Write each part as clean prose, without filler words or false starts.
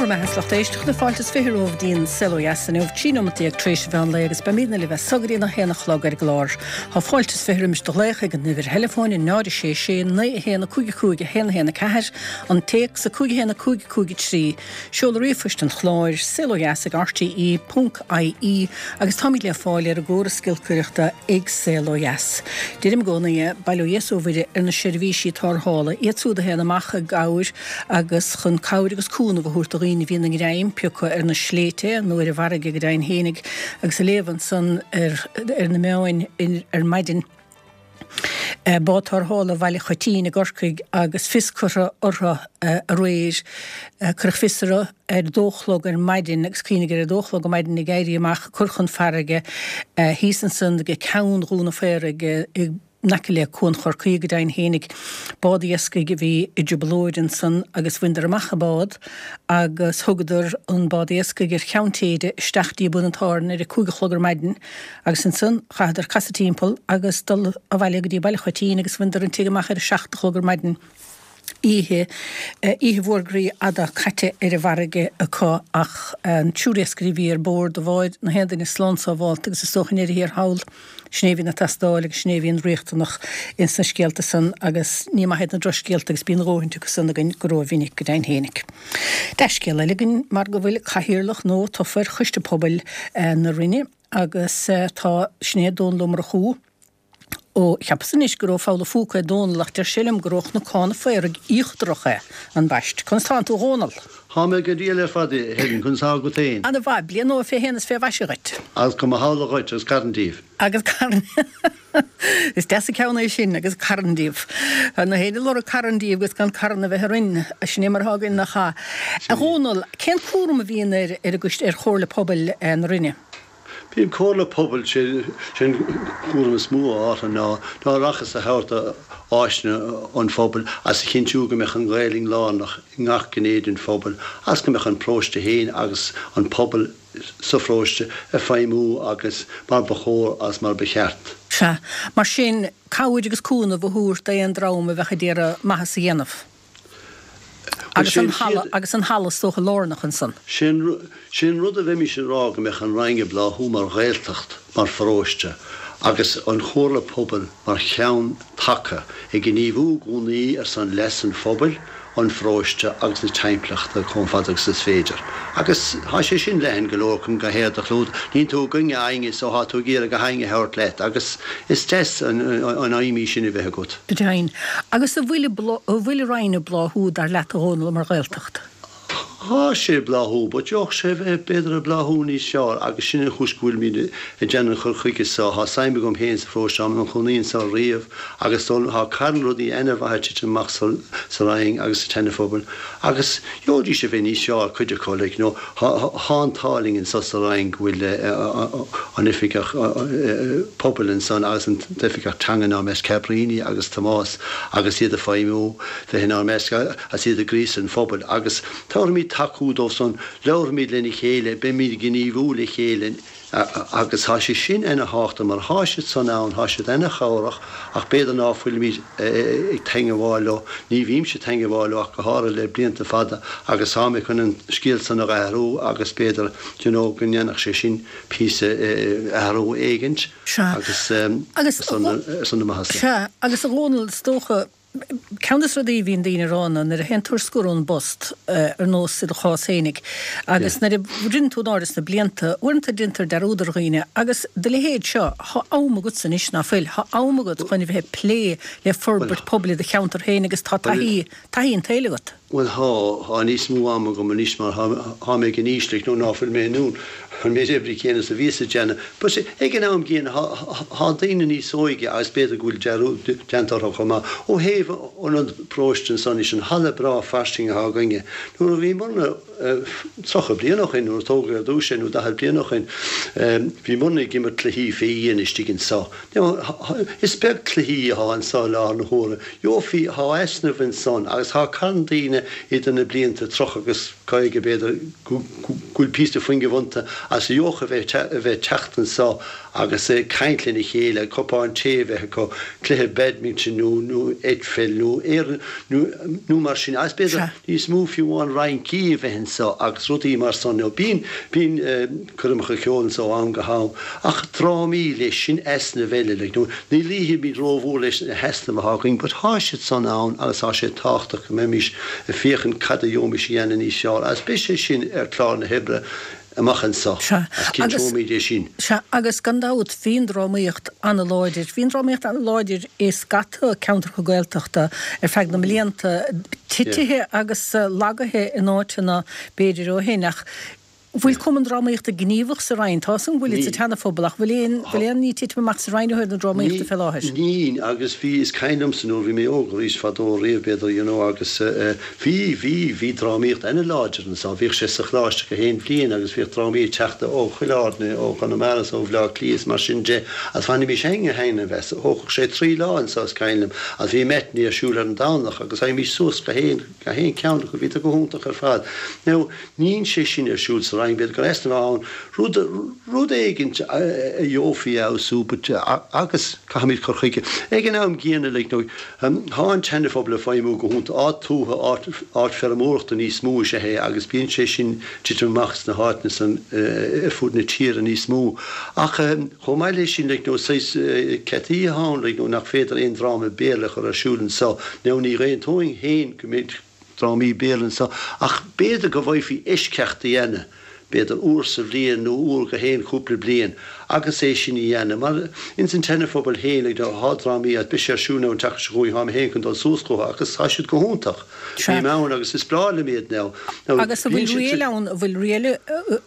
Bhur mbeatha is lucht éisteachta, fáilte is 20 romhaibh dtí'n Saol Ó Dheas inniu, 13 nóimeat tar éis an mheán lae agus beimidne libh as so go dtí a haon a chlog ar an gclár. Tá fáilte is 20 roimis do ghlaoch ag an uimhir theileafóin 0 6 6 9 1 5 5 1 1 4, an téacs 5 1 5 5 3, Seoladh ríomhphoist an chláir, saolodheas ag rte ponc ie agus táimid le fáil ar an gcóras giolcaireachta ag Saol Ó Dheas. Deirim i gcónaí é, bail ó Dhia is ó Mhuire ar na seirbhísí tarrthála, iad súd a théann amach i gcabhair agus chun cabhair agus cúnamh a thabhairt do dhaoine a bhíonn a ngreim pioctha ar na sléibhte nó ar an bhfarraige go deimhin fhéinig agus ag léamh ansan ar na meáin ar maidin. Bád tarrthála Bhaile Choitín i gCorcaigh agus fios curtha orthu aréir. Cuireadh fios orthu ar dó a chlog ar maidin agus cuimhnigh ar a dó a chlog ar maidin ag éirí amach ag cur chun farraige thíos ansan ag Ceann Dhún an Phaoraigh in aice le Cuan Chorcaí go deimhin fhéinig. Bád iascaigh a bhí i dtrioblóid ansan agus bhaineadar amach an bád agus thugadar an bád iascaigh ar Cheann Téide isteach dtí Bun an tSáirn ar a 5 a chlog ar maidin. Agus ansan chaitheadar casadh timpeall agus dul abhaile go dtí Baile Choitín agus bhaineadar an tigh amach ar a 7 a chlog ar maidin. Oíche, oíche mhór groí fhada caite ar an bhfarraige acu ach an triúr iascairí a bhí ar bord an bháid, na haon duine slán sábhálta agus is dócha i ndeireadh thiar thall, sin é a bhíonn ag teastáil agus sin é a bhíonn riachtanach ins na scéalta san agus ní maith iad na drochscéalta agus bíonn a dhóthaint acu san againn go rómhinic go deimhin fhéinig. Dea-scéala eile againn mar go bhfuil cathaoirleach nua tofa ar Choiste Pobail na Rinne agus tá, sin é Dónal Ó Murchú ó, cheapas anois gur ó Pholl a' Phúca é Dónal ach deir sé liom gur ó Chnocán an Phaoraigh Íochtarach é, ambaist. Conas tánn tú a Dhónaill? Thá mé go diail ar fad, a Helen, conas thá agat féin? Ana mhaith, bliain nua fé shéan is fé mhaise dhuit. Agus go mba shamhla dhuit agus carn díobh. Agus carn. Is deas an ceann é sin, agus carn díobh. Tá na héinne ag lorg carn díobh agus gan carn a bheith orainn. Sin é mar atá againn, nach ea? A Dhónaill, cén cúram a bhíonn ar ar an gcoiste, ar Chomhairle Pobail na Rinne? Bíonn Comhairle Pobail, sé an cúram is mó atá orthu ná ná aireachas a thabhairt do áiseanna an phobail agus a chinntiú go mbeadh an Ghaelainn lárnach i ngach gné den phobal agus go mbeadh an paróiste féin agus an pobal sa pharóiste ag feidhmiú agus mar ba chóir agus mar ba cheart. Sea. Mar sin, cabhair agus cúnamh a thabhairt d'aon dream a bheadh ag iarraidh maitheas a dhéanamh. Agus an halla, agus an halla is dócha lárnach ansan. Sé an rud a bheimis ag rá go mbeadh an Rinn ag bláthú mar Ghaeltacht, mar pharóiste, agus an Chomhairle Pobail mar cheann taca, ag gníomhú i gcónaí ar son leas an phobail, an pharóiste agus na timpeallachta chomh fada agus is féidir. Agus tá sé sin leathan go leor chun gach éad a chlúdach. Níonn tú i gcoinne éinne so tá tú ag iarraidh gach éinne a thabhairt leat agus is deas an aidhm í sin a bheith agat. Go deimhin. Agus an bhfuil an bhfuil an Rinn ag bláthú, dar leat, a Dhónaill, mar Ghaeltacht? Thá sé ag bláthú, but gheobhadh sé a bheith b'fhéidir ag bláthú níos fearr agus sin an chúis go bhfuilimid ag déanamh an chur chuige so. Thá suim agam féin sa pharóiste, táim i mo chónaí anso riamh agus dul, thá carn rudaí ana-mhaith ag titim amach sa, sa Rinn agus sa tSeana-Phobal agus gheobhaidís a bheith níos fearr, cuid acu, like, you know, thá, thá an t-ádh linn anso sa Rinn go bhfuil an oifigeach pobail ansan agus an t-oifigeach teanga inár measc, Cabríní agus Tomás agus iad ag feidhmiú, bheith inár measc. Agus iad ag gríosadh an phobail, agus tabharfaimid tacú dóibh san, labharfaimid lena chéile, beimid ag gníomhú le chéile, agus tá sé sin ana thábhachtach mar thá siad san ann, thá siad ana chabhrach ach b'fhéidir ná fuilimid ag teangabháil leo, ní bhímse ag teangabháil leo ach go háirithe le blianta fada agus tá mé chun an scéal san a athrú agus b'fhéidir you know go ndéanfadh sé sin píosa athrú éigint agus ar son na maitheasa. Sea, agus a Dhónaill, is dócha, Ceann de na rudaí a bhíonn daoine a rá ná nuair a théann tú ar scor ón bpost, ar nós i do chás fhéinig, agus nuair a rinne tú in airde sna blianta, uaireanta déantar dearúd ar dhaoine agus do leithéid seo, thá am agatsa anois, ná fuil? Thá am agat chun a bheith ag plé le forbairt pobail i do cheantar féin agus tá taithí, taithí an tsaoil agat. Bhuel thá, thá níos mó ama agam anois mar thá, thá mé ag an aois like nó ná fuil mé in ann an méid oibre céanna is a bhíos ag déanamh. But ag an am gcéanna thá, thá daoine níos óige agus b'fhéidir go bhfuil dearúd déanta orthu chomh maith. Ó thaobh ionad paróiste ansan leis an halla breá fairsing athá againne, nuair a bhíomarna 30 bliain ó shoin, nuair a tógadh ar dtús é nó 40 bliain ó shoin, bhíomarna ag imirt cluichí fé dhíon istigh anso. Is beag cluichí athá anso i láthair na huaire. Gheofaí, thá easnamh ansan agus thá carn daoine idir na blianta 30 agus 50 b'fhéidir go bhfuil píosa fuinnimh iontu agus a gheobhadh a bheith a bheith teacht anso. agus caint lena chéile, cupán tae a bheith acu, cluiche badminton nó nó eitpheil nó aon nó nó mar sin agus b'fhéidir níos mó fiú amháin rincí a bheith anso agus rudaí mar san. Now bíonn bíonn coirmeacha ceoil anso ó am go ham ach drámaí leis, sin easnamh eile like nó ní luífimid rómhór leis na heasnaimh atá againn but thá siad san ann agus tá sé tábhachtach go mbeimis ag féachaint cad a gheobhaimis a dhéanamh níos fearr agus beidh sé sin ar chlár na hoibre amach anso Sea, agus agus, cinnteoimid é sin. sea, agus gan dabht bhí an drámaíocht ana-láidir, bhí an drámaíocht ana-láidir i scata ceantracha Gaeltachta ar feadh na mblianta, titithe agus lagaithe in áiteanna b'fhéidir ó shin ach bhfuil cumann drámaíochta gníomhach sa Rinn? Tá 'fhios agam go bhfuilid sa tSeana-Phobal ach bhfuil aon, bhfuil aon ní ag titim amach sa Rinn ó thaobh na drámaíochta fé láthair? Níl, agus bhí, is cuimhin liomsa nuair a bhí mé óg arís fadó riamh b'fhéidir you know agus eh, Bhí, bhí, bhí drámaíocht ana-láidir anso. Bhíodh sé sa choláiste gach aon bhliain agus bhíodh drámaí ag teacht ó chuile áit, ó Chonamara is ó Bhleá Cliath is mar sin de agus bhainimis ana-thaitneamh as. Thógfadh sé trí lá anso is cuimhin liom agus bhí matinee ar siúl ar an Domhnach agus theimis suas gach aon, gach aon ceann acu, bhíodar go hiontach ar fad. Now, níl sé sin ar siúl sa Rinn, b'fhéidir gur easnamh atá ann, rud, rud éigint a gheofaí a fheabhsú but, agus caithfimid cur chuige. Ag an am gcéanna like, nó, Tá an tSeana-Phobal ag feidhmiú go hiontach. Áit tuaithe, áit feirmeoireachta níos mó is ea é agus bíonn sé sin titim amach sna háiteanna san ar fud na tíre níos mó. Ach chomh maith leis sin, like, nó saghas ceataí atá ann, like, nó nach féidir aon dráma Béarla a chur ar siúl anso. Now ní aontóinn féin go mbeadh drámaí Béarla anso ach b'fhéidir go bhféadfaí eisceacht a dhéanamh, b'fhéidir uair sa bhliain nó uair gach aon chúpla bliain agus é sin a dhéanamh. Mar ins an tSeana-Phobal féin, like, tá drámaí agus beidh sé ar siúl now an tseachtain seo chugainn, tá mé féin chun dul suas chucu agus tá siad go hiontach. Sea. Bím ann agus is breá liom iad now. Now Agus an bíonn bhfuil siad riail sa. ann, an bhfuil riail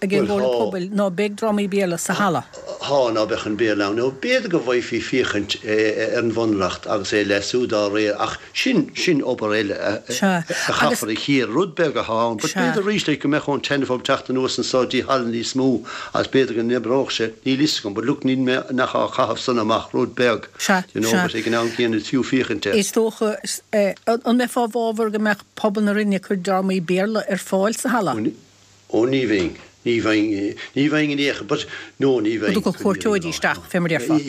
ag an Bhuel gComhairle tá. Pobail ná beidh drámaí Béarla sa halla? Tá, ná beadh an Béarla ann. Now b'fhéidir go bhféadfaí féachaint ar an Bhunreacht agus é a leasú dá réir ach Sin, sin obair eile a Sea. Agus. chaithfear a chíoradh. Rud beag atá ann, but Sea. b'fhéidir arís like go mbeadh ón tSeana-Phobal teacht anuas anso dtí halla níos mó agus b'fhéidir go n-oibreodh sé, níl fhios agam, but look níl mé nach á chaitheamh san amach, rud beag, Sea, you know, sea. but ag an am céanna is fiú féachaint air. Is dócha, eh, an mbeifeá i bhfabhar go mbeadh pobal na Rinne ag cur drámaí Béarla ar fáil sa halla? Ó ní bheinn. Ní bheinn, ní bheinn in aon chor, but, no, ní bheinn. Go dtiocfadh cuairteoirí isteach, fé mar a déarfá.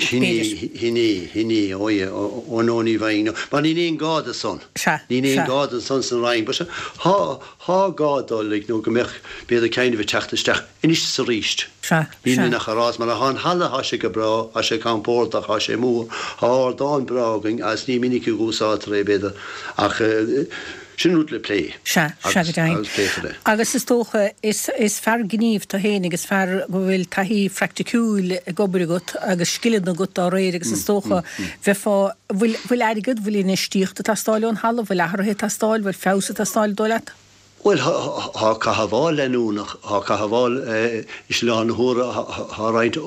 Sin é, sin é, sin é, oh yeah, oh no, ní bheinn, no. Mar níl aon gá do san. Sea, Níl aon sea. gá do san san Rinn, but thá, thá gá dó, like, nó go mbeadh, b'fhéidir ceann a bheith teacht isteach anois is aríst. Sea, Níl sea. mé nach a rá, mar thá an halla, thá sé go breá, thá sé compordach, thá sé mór, thá ardán breá againn agus ní minic a dh'úsáidtear é, b'fhéidir, ach, Sin rud le plé. Sea, sea go deimhin. Agus pléifear é. Agus is dócha, is, is fear gnímh tú féin agus fear go bhfuil taithí phraiticiúil ag obair agat agus scileanna agat dá réir agus is dócha, bheifeá, bhfuil, bhfuil airgead, bhfuil infheistíocht ag teastáil ón halla, bhfuil athruithe ag teastáil, bhfuil feabhas ag teastáil, dóigh leat? Bhuel, thá cothabháil leanúnach, thá cothabháil is i láthair na huaire thá roinnt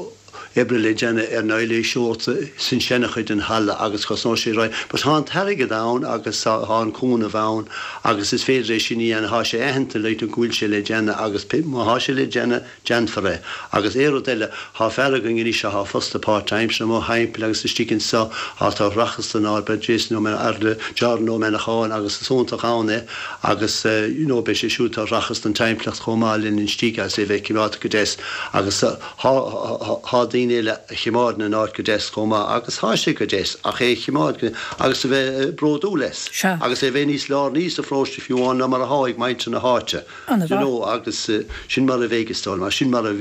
oibre le déanamh ar na aeiléiseoirí san seana-chuid den halla agus cosnóidh sé roinnt, but thá an t-airgead ann agus thá an cúnamh ann agus is féidir é sin a dhéanamh, thá sé aitheanta like go bhfuil sé le déanamh agus má thá sé le déanamh déanfar é. Agus aon rud eile, thá fear againn anois athá fostaithe páirtaimseartha amuigh thimpeall agus istigh anso, atá ag rachas don áit, beidh Jason Ó Jordan Ó Manacháin agus is iontach ann é agus you know beidh sé siúd atá ag rachas don timpeallacht chomh maith linn istigh agus é bheith cimeádta go deas agus thá thá daoine eile a chimeádann an áit go deas chomh maith agus thá sé go deas ach é a chimeád go agus a bheith bródúil as Sea. agus é bheith níos lárnaí sa pharóiste fiú amháin ná mar athá ag muintir na háite. An-mhaith. You know agus sin mar a bheidh is dóigh liom, sin mar a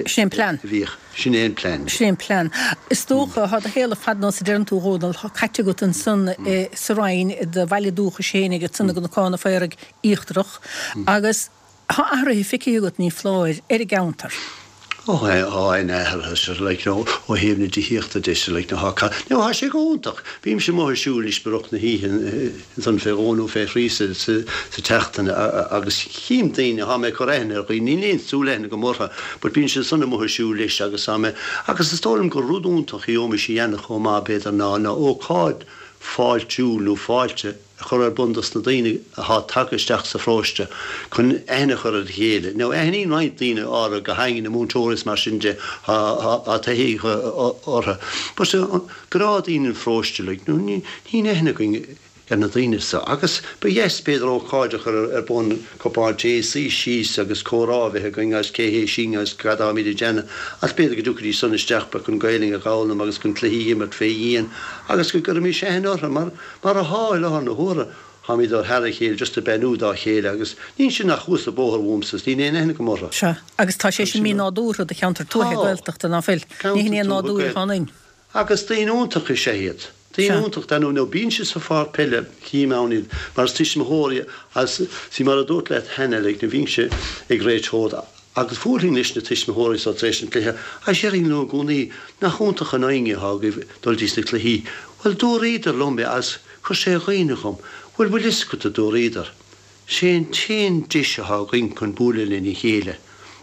Sin é an plean. bhíodh, sin é an plean. Sin é an plean. Is dócha, thá do shaol ar fad nós a deireann tú, a Dhónaill, thá caite agat ansan sa Rinn, i do bhaile dúchais féinig, ansan i gCnocán an Phaoraigh Íochtarach, agus thá athruithe feicthe agat, ní foláir, ar an gceantar. Ó thá an-athruithe sure like you know ó thaobh na tithíochta de sure like you know thá now thá sé go hiontach. Bímse amuigh ag siúl anois i rith na hoíche ansan fé dhó nó fé thrí sa sa tseachtain agus chím daoine, thá mé ag cur aithne ar dhaoine, níl aon súil aithne agam orthu but bíonn siad san amuigh ag siúl leis agus tá mé agus is dóigh liom gur rud iontach a gheobhaimis a dhéanamh chomh maith b'fhéidir ná ná ócáid fáiltiúil nó fáilte a chur ar bun dos na daoine athá tagtha isteach sa pharóiste chun aithne a chur ar a chéile. Now aithníonn roinnt daoine orthu, go háirithe na múinteoirí is mar sin de, thá taithí orthu. But gnáthdaoine an pharóiste like, níl aithne againn. ar na daoine so agus ba dheas b'fhéidir ócáid a chur ar bun, cupán tae, suí síos agus comhrá a bheith againn agus cé hé sinn agus cad táimid ag déanamh agus b'fhéidir go dtiocfaidís san isteach chun Gaelainn a dh'fhoghlaim agus chun cluichí a imirt fé dhíon agus go gcuirfimis aithne orthu mar mar athá i láthair na huaire táimid thar a chéile just ag beannú dá chéile agus níl siad ach thuas an bóthar uaimse is níl aon aithne agam orthu. Sea, agus tá sé sin mí-nádúrtha do cheantar tuaithe Gaeltachta, ná fuil? Ní hin é an nádúr atá ionainn. Agus daoine iontacha is ea iad. Daoine iontacha, dar ndóigh, nó bíonn siad sa pháirc peile, chím ann iad, mar is tuismitheoirí agus, see, mar a dúrt leat cheana, like, nuair a bhínnse ag réiteoir agus bhuailfinn leis na tuismitheoirí so tar éis an chluiche agus déarfainn leo i gcónaí, nach iontach an fhoighne atá agaibh dul dtí sna cluichí. Bhuel, dúraíodar liom é agus chuir sé ionadh orm. Bhuel, bhfuil fhios agat, a dúraíodar. Sé an t-aon deis atá againn chun bualadh lena chéile.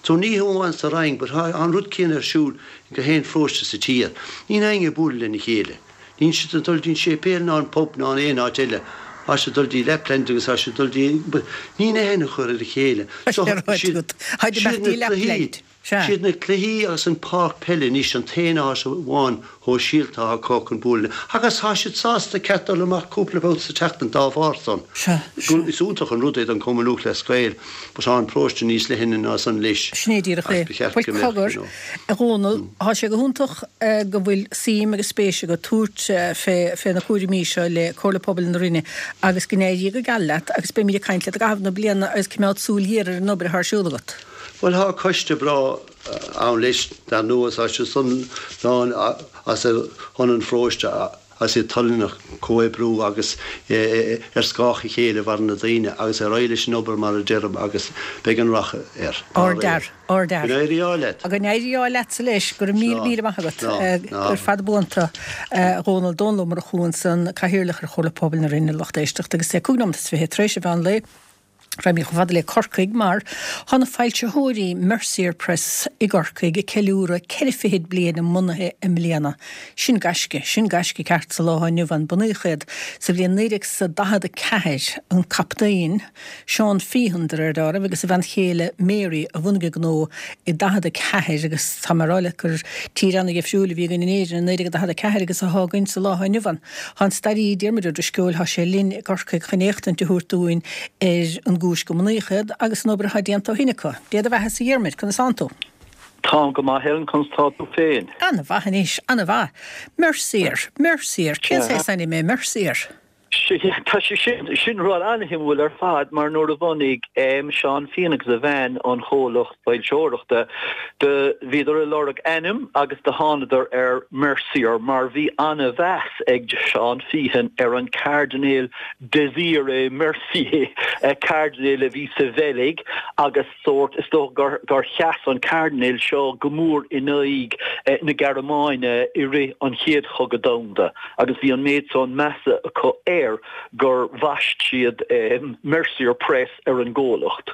So ní hamháin sa Rinn but tá an rud céanna ar siúl in gach aon pharóiste sa tír. Níl éinne ag bualadh lena chéile. Níl siad ag dul dtí an séipéal ná an pub ná aon áit eile. Tá siad ag dul dtí Lapland agus tá siad ag dul dtí but níl aithne acu ar a chéile. So siad na cluichí. Sea. Siad na cluichí agus an páirc peile anois an t-aon áit amháin shóisialta atá acu chun bualadh agus tá siad sásta ceart dul amach cúpla babhta sa tseachtain dá bharr san. Sea. Sea. Is iontach an rud é don Chumann Lúthchleas Gael but tá an paróiste níos leithne ná san leis Sin é díreach é. agus ba cheart Bhuel go mbeadh, cogar, you know. a Dhónaill, tá sé go hiontach go bhfuil suim agus spéis agat tabhairt fé fé na cúraimí seo le Comhairle Pobail na Rinne agus go n-éirí go geal leat agus beimid ag caint leat i gcaitheamh na bliana agus coimeád súil ghéar ar an obair atá ar siúl agat. Bhuel, thá coiste breá ann leis, dar ndóigh, tá siad san lán as ar shon an pharóiste, agus iad toilteanach comhoibriú agus ar scáth a chéile a mhaireann na daoine, agus ar aghaidh leis an obair mar a deirim agus beidh an rath air, dá réir. Ardfhear. Go n-éirí ádh leat. Go n-éirí ádh leatsa leis. Go raibh míle míle maith agat. Gur fada buan tú, a Dhónaill. Dónal Ó Murchú ansan, Cathaoirleach ar Chomhairle Pobail na Rinne, lucht éisteachta, agus é 5 nóiméad is 20 tar éis an mheán lae. Raghaimid chomh fada le Corcaigh mar tá na foilsitheoirí Mercier Press i gCorcaigh ag ceiliúradh ceithre fichid bliain a mbunaithe i mbliana. Sin gaisce, sin gaisce ceart sa lá atá inniu ann. Bunaíodh iad sa bhliain 1944, an Captaen Seán Feehan de réir dealraimh agus a bhean chéile Mary a bhunaigh an gnó i 44 agus tá mé ag rá leat gur tír ana-dhifriúil a bhí againn in Éirinn i 1944 agus atá againn sa lá atá inniu ann. Tá an staraí Diarmuid Ó Drisceoil, tá sé linn i gCorcaigh chun éachtaint a thabhairt dúinn ar an gcúis go mbunaíodh iad agus an obair atá déanta ó shin acu. Dé do bheatha-sa a Dhiarmuid, conas tánn tú? Táim go maith Helen, conas tá tú féin? Ana-mhaith anois, ana-mhaith. Mercier, Mercier, cén saghas ainm é Mercier? Tá sé sin, sin rud an-shuimiúil ar fad mar nuair a bhunaigh Seán Feehan agus a bhean an chomhlacht foilseoireachta, do bhíodar ag lorg ainm agus do thánadar ar Mercier mar bhí an-mheas ag Seán Feehan ar an Cairdinéal Désiré Mercier, cairdinéal a bhí sa Bheilg agus sórt, is dócha gur gur sheas an cairdinéal seo go mór in aghaidh na Gearmáine i rith an Chéad Chogadh Domhanda agus bhí an méid san measa acu air gur bhaist siad Mercier Press ar an gcomhlacht.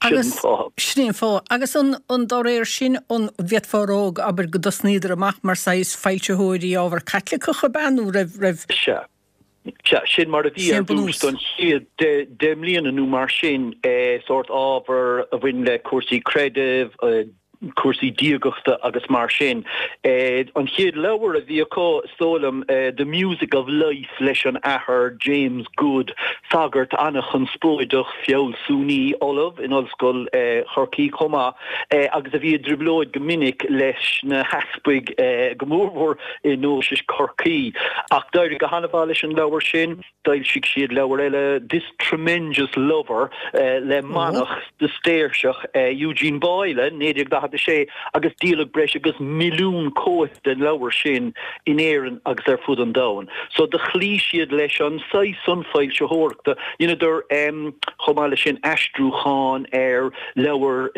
Sin an fáth. Sin é an fáth. Agus an an dá réir sin, an bhféadfá a rá, abair, go dtosnaíodar amach mar saghas foilsitheoirí ábhar Caitliceach ab ea nó raibh raibh. Sea. Sea, sin mar a bhí ar dtús don chéad 10 mbliana nó mar sin, sórt ábhar a bhain le cúrsaí creidimh, cúrsaí diagachta agus mar sin. An chéad leabhar a bhí acu, is dóigh liom, The Music of Life leis an Athair James Good, sagart an-chonspóideach, fealsúnaí, ollamh in Ollscoil Chorcaí chomh maith, agus a bhí i dtrioblóid go minic leis na heaspaig, go mórmhór i nDeoise Chorcaí. Ach d'éirigh go han-mhaith leis an leabhar sin. D'fhoilsigh siad leabhar eile, This Tremendous Lover, le manach Sistéirseach, Eugene Boyle, 1946, agus díoladh breis agus milliún cóip den leabhar sin in Éirinn agus ar fud an domhain. So do chloígh siad leis an saghas san foilsitheoireachta. Dheineadar, chomh maith leis sin, aistriúchán ar leabhair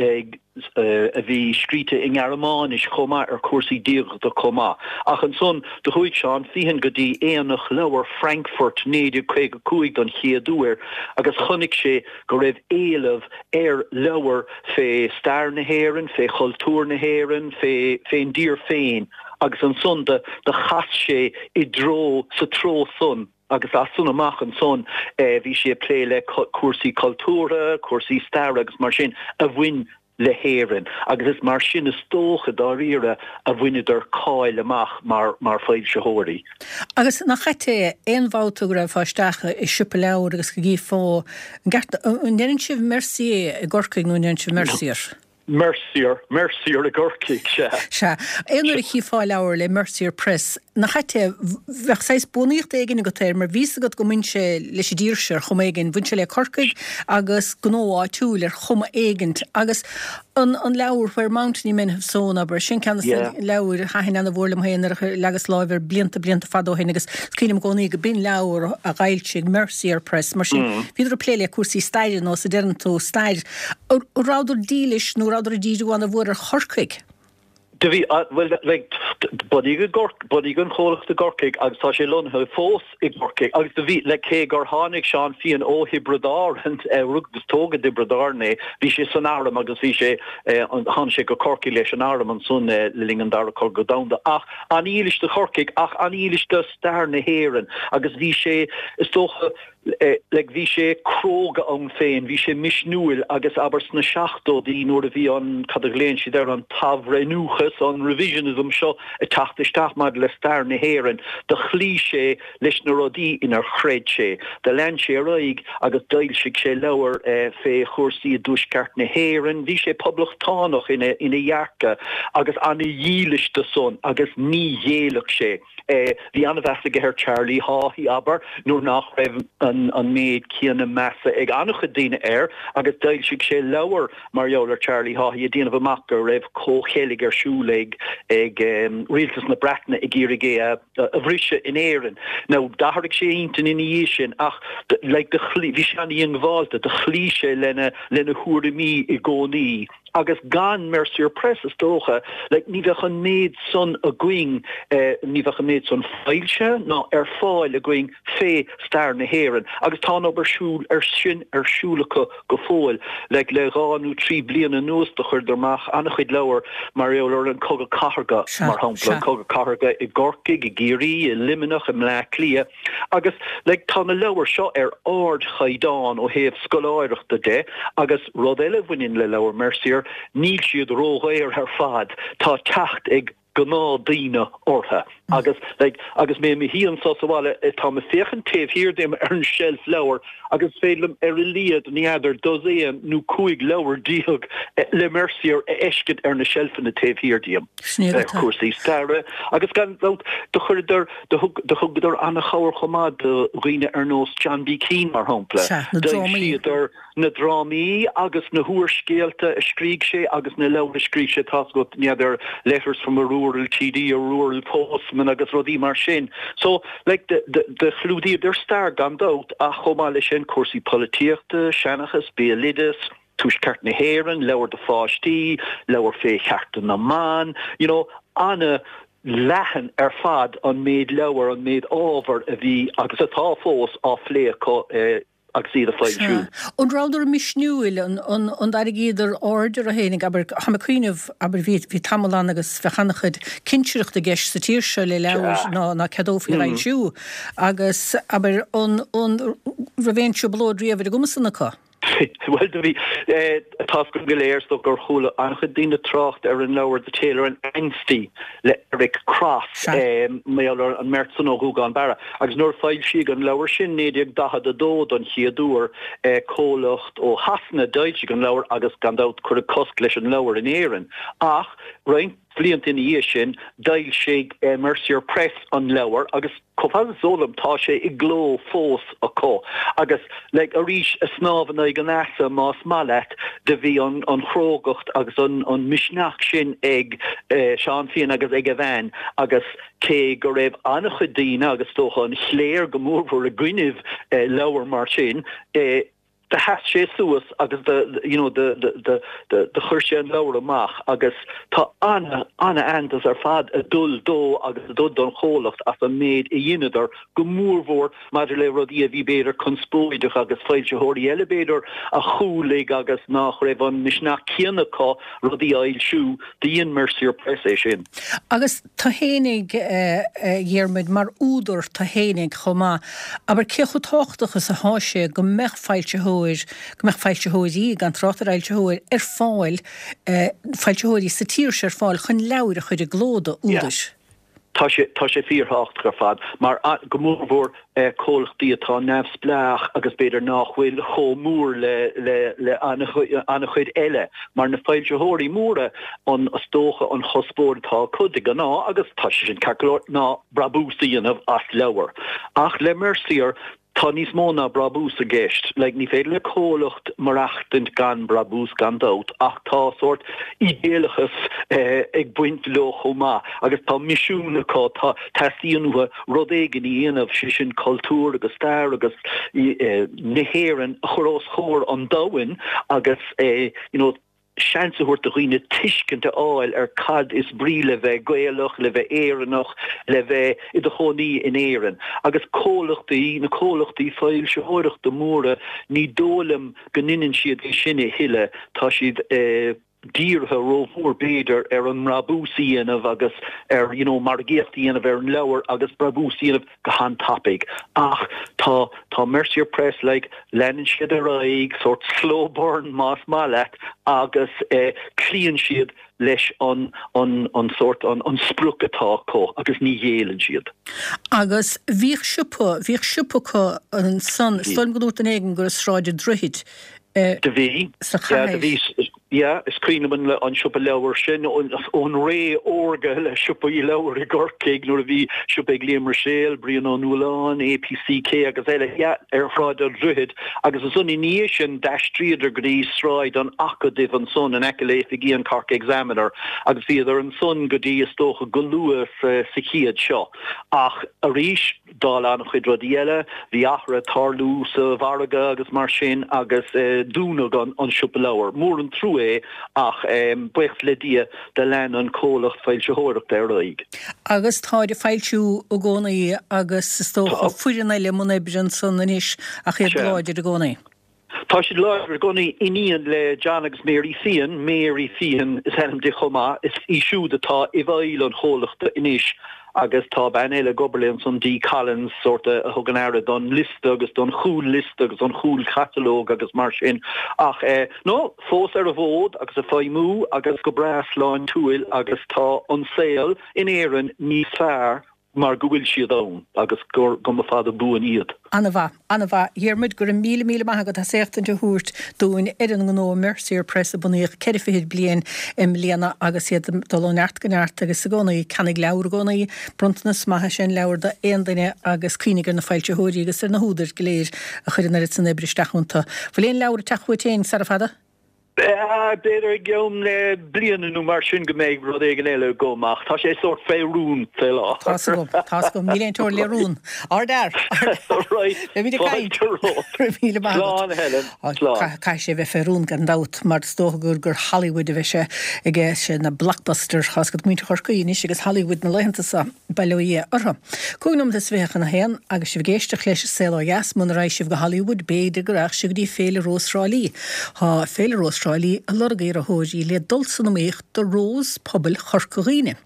a bhí scríte i nGearmáinis chomh maith ar chúrsaí diagachta chomh maith. Ach ansan do chuaigh Seán Feehan go dtí Aonach Leabhar Frankfurt 1955 don chéad uair agus chonaic sé go raibh éileamh ar leabhair fé stair na hÉireann, fé chultúr na hÉireann, fé fén dtír féin agus ansan do chas sé i dtreo, sa treo san. Agus as san amach ansan bhí sé ag plé le cúrsaí cultúrtha, cúrsaí staire agus mar sin a bhain. le hÉirinn agus is mar sin is dócha dáiríre a bhaineadar cáil amach mar mar foilsitheoirí. Agus nach ait é, aon bhabhta go raghfá isteach i siopa leabhar agus go gcífeá, an gceart, an ndeireann sibh Mercier i gCorcaigh nó an ndeireann sibh Mercier? Mercier, Mercier i gCorcaigh, sea. Sea. Aon uair a chífeá leabhar le Mercier Press, nach ait é, bheadh saghas buanaíocht éigin agat air mar bhí 'fhios agat go mbain sé leis an dtír seo ar chuma éigin, bhain sé le Corcaigh agus gnó áitiúil ar chuma éigint agus an an leabhar Where Mountainy Men Have Sown, abair, sin ceann de na leabhair a thaitin ana-mhór liom féin nuair a leagas láimh air blianta, blianta fada ó shin agus is cuimhin liom i gcónaí go b'in leabhar a d'fhoilsigh Mercier Press, mar sin bhíodar ag plé le cúrsaí staire nó is a deireann tú, stair. An rabhadar dílis nó rabhadar ag díriú ana-mhór ar Chorcaigh? Do bhí, bhuel, like, bunaíodh i gCorc, bunaíodh an chomhlacht i gCorcaigh agus tá sé lonnaithe fós i gCorcaigh agus do bhí, like, cé gur tháinig Seán Feehan ó Thiobraid Árann, rugadh agus tógadh i dTiobraid Árann é, bhí sé san arm agus bhí sé, tháinig sé go Corcaigh leis an arm ansan le linn an Dara Cogadh Domhanda ach an-dhílis do Chorcaigh ach an-dhílis do stair na hÉireann agus bhí sé, is dócha, Like bhí sé cróga ann féin, bhí sé misniúil agus abair sna seachtóidí nuair a bhí an, cad a ghlaonn siad air, an t-athbhreithniúchas, an revisionism seo ag teacht isteach maidir le stair na hÉireann, do chloígh sé leis na rudaí inar chreid sé. Do lean sé ar aghaidh agus d'fhoilsigh sé leabhair fé chúrsaí i dtuaisceart na hÉireann. Bhí sé poblachtánach ina dhearcadh agus ana-dhílis do san agus ní ghéillfeadh sé. Bhí an-mheas aige ar Charlie Haughey, abair, nuair nach raibh an méid céanna measa ag an-chuid daoine air, agus d'fhoilsigh sé leabhar mar gheall ar Charlie Haughey ag déanamh amach go raibh comhcheilg ar siúl ag rialtas na Breataine ag iarraidh é a bhriseadh in Éirinn. Now, d'athraigh sé a intinn ina dhiaidh sin ach like bhí sé an-dhiongbháilte, do chloígh sé lena thuairimí i gcónaí. Agus gan Mercier Press, is dócha, like, ní bheadh an méid san againn, ní bheadh an méid san foilsithe ná ar fáil againn fé stair na hÉireann. Agus tá an obair siúl, ar sin ar siúl acu go fóill. Like, le dhá nó trí bliana anuas do chuireadar amach an-chuid leabhar mar gheall ar an Cogadh Cathartha, mar shampla, an Cogadh Cathartha i gCorcaigh, i gCiarraí, i Luimneach, i mBleá Cliath. Agus, like, tá na leabhair seo ar ardchaighdeán ó thaobh scoláireachta de agus rud eile a bhaineann le leabhair Mercier, níl siad ródhaor ar fad, tá teacht ag gnáthdhaoine orthu. Agus, like, agus mé i mo shuí anso sa bhaile, táim ag féachaint taobh thiar díom ar an tseilf leabhar agus is féidir liom ar a laghad, ní fheadar, dosaen nó 15 leabhar le Mercier a fheiscint ar na seilfeanna taobh thiar díom. Cúrsaí staire agus gan dabht do chuireadar, do thugadar an-chabhair chomh maith do dhaoine ar nós John B. Keane mar shampla. D'fhoilsíodar na drámaí agus na húrscéalta a scrígh sé agus na leabhair a scrígh sé, tá's agat, ní fheadar, Letters from a Rural TD, a Rural Postman agus rudaí mar sin. So, like, do chlúdaíodar stair gan dabht ach chomh maith leis sin cúrsaí polaitíochta, seanchas, béaloideas, Tuaisceart na hÉireann, leabhair do pháistí, leabhair fé chearta na mban, you know, ana-leathan ar fad an méid leabhar, an méid ábhair a bhí agus atá fós á phlé acu agus iad a foilsiú. Sea. An rabhadar misniúil? An an dtarraingíodar aird orthu fhéinig? Abair, táim ag cuimhneamh, abair, bhí bhí tamall ann agus bheadh an-chuid cinsireachta i gceist sa tír seo le leabhair ná ná ceadófaí a fhoilsiú agus, abair, an an raibh aon trioblóid riamh ar an gcuma san acu? Bhuel, do bhí. Tá's againn go léir, is dócha, gur chuala an-chuid daoine trácht ar an leabhar The Tailor and Ansty le Eric Cross, mar gheall ar an mbeirt san ó Ghúgán Barra. Agus nuair a foilsíodh an leabhar sin, 1942, don chéad uair, comhlacht ó Shasana a d'fhoilsigh an leabhar agus gan dabht cuireadh cosc leis an leabhar in Éirinn. Ach roinnt blianta ina dhiaidh sin, d'fhoilsigh Mercier Press an leabhar agus chomh fada is eol dom tá sé i gcló fós acu. Agus like arís, ag snámh in aghaidh an easa más maith leat, do bhí an an chrógacht agus an an misneach sin ag Seán Feehan agus ag a bhean agus cé go raibh an-chuid daoine agus is dócha an chléir go mórmhór i gcoinnibh leabhar mar sin, do sheas sé suas agus do you know do do do do chuir sé an leabhar amach agus tá ana ana-aitheantas ar fad ag dul dó agus ag dul don chomhlacht as an méid a dheineadar go mórmhór maidir le rudaí a bhí b'fhéidir conspóideach agus foilsitheoirí eile b'fhéidir a chúlaigh agus nach raibh an misneach céanna acu rudaí a fhoilsiú, do dhein Mercier Press é sin. Agus tú fhéinig, a Dhiarmuid, mar údar tú fhéinig chomh maith, abair cé chomh tábhachtach is athá sé go mbeadh foilsitheoir. foilsitheoir, go mbeadh foilsitheoirí, gan trácht ar fhoilsitheoir, ar fáil, foilsitheoirí sa tír seo ar fáil chun leabhair a chur i gcló d'údair. Tá sé, tá sé fíorthábhachtach ar fad, mar, go mórmhór comhlachtaí atá neamhspleách agus b'fhéidir nách bhfuil chomh mór le, le, le an-chuid eile, mar na foilsitheoirí móra, an, is dócha an chuspóir atá acu de ghnáth, agus tá sé sin ceart go leor, ná brabús a dhéanamh as leabhar. Ach le Mercier, Tá níos mó ná brabús i gceist. Like, ní féidir le comhlacht maireachtaint gan brabús, gan dabht, ach tá sórt ídéalachas ag baint leo chomh maith agus tá misiún acu, tá, teastaíonn uathu rud éigin a dhéanamh, sé sin cultúr agus stair agus na hÉireann a chur os comhair an domhain agus you know, seans a thabhairt do dhaoine tuiscint a fháil ar cad is brí le bheith Gaelach, le bheith Éireannach, le bheith i do chónaí in Éirinn. Agus comhlachtaí, na comhlachtaí foilsitheoireachta móra, ní dóigh liom go ndeineann siad é sin a thuilleadh, tá siad dírithe rómhór b'fhéidir ar an mbrabús a dhéanamh agus ar you know margaíocht a dhéanamh ar an leabhar agus brabús a dhéanamh go han-tapaidh. Ach tá, tá Mercier Press, like, leanann siad ar aghaidh, sórt slow burn más maith leat, agus eh cloíonn siad leis an, an, an sórt, an, an sprioc atá acu agus ní ghéilleann siad. Agus bhíodh siopa, bhíodh siopa acu ansan, is dóigh liom go ndúirt duine éigin gur i Sráid an Droichid eh Do bhí, sa yeah, do chathair. bhí, Yeah, is cuimhin liom an siopa leabhar sin ón ré órga le siopaí leabhar i gCorcaigh nuair a bhí siopa ag Liam Ruiséal, Brian Ó Nualláin, APCK agus eile, yeah, ar Shráid an Droichid agus ansan i ndiaidh sin d'aistríodar go dtí Sráid an Acadaimh ansan in aice le oifigí an Cork Examiner agus bhíodar ansan go dtí is dócha go luath sa chéad seo. Ach arís. Dála an-chuid rudaí eile, bhí athruithe ag tarlú sa mhargadh agus mar sin agus dúnadh an siopa leabhar. Mór an trua é ach buíochas le Dia do lean an comhlacht foilsitheoireachta ar aghaidh. Agus táid ag foilsiú i gcónaí agus is dócha foireann eile i mbun oibre ansan anois ach iad láidir i gcónaí. Tá siad láidir i gcónaí. Iníon le John agus Mary Feehan, Mary Feehan is ainm di chomh maith, is í siúd atá i bhfeighil an chomhlachta anois agus tá bean eile ag obair léi ansan, Dee Collins, sórt a thugann aire don liosta agus don chúl-liosta agus don chúl-chatalóg agus mar sin. Ach eh, no, fós ar an bhfód agus ag feidhmiú agus go breá sláintiúil agus tá an saol in Éirinn níos fearr mar go bhfuil siad ann agus go mba fada buan iad. An-mhaith, an-mhaith. A Dhiarmuid, go raibh míle míle maith agat as éachtaint a thabhairt dúinn ar an ngnó Mercier Press a bunaíodh ceithre fichid bliain i mbliana agus iad ag dul ó neart go neart agus i gcónaí, ceannaigh leabhar i gcónaí, bronntanas maith is ea an leabhar d'aon duine agus cuimhnigh ar na foilsitheoirí agus ar na húdair go léir a chuir an oiread san oibre isteach iontu. Bhfuil aon leabhar ag teacht uait féin sara fada? B'fhéidir i gceann bliana nó mar sin go mbeidh rud éigin eile agam ach tá sé sórt fé rún fé láthair. Tá's agam, tá's agam, níl aon teorainn le rún. Ardfhear! Right, Beimid ag caint. fáilte romhat. Go raibh míle maith agat. Slán a Helen, slán. Caithfidh sé a bheith fé rún gan dabht mar is dócha gur gur Hollywood a bheidh sé aige, sé na blockbuster, tá's agat muintir Chorcaí anois agus Hollywood na laethanta seo. Bail ó Dhia orthu. 25 nóiméad chun a haon, agus sibh ag éisteacht leis An Saol Ó Dheas, muna raghaidh sibh go Hollywood, b'fhéidir go raghadh sibh go dtí Féile Rós Thrá Lí. Tá Féile Rós Thrá Lí ag lorg iarrthóirí le dul san iomaíocht do Rós Pobail Chorca Dhuibhne.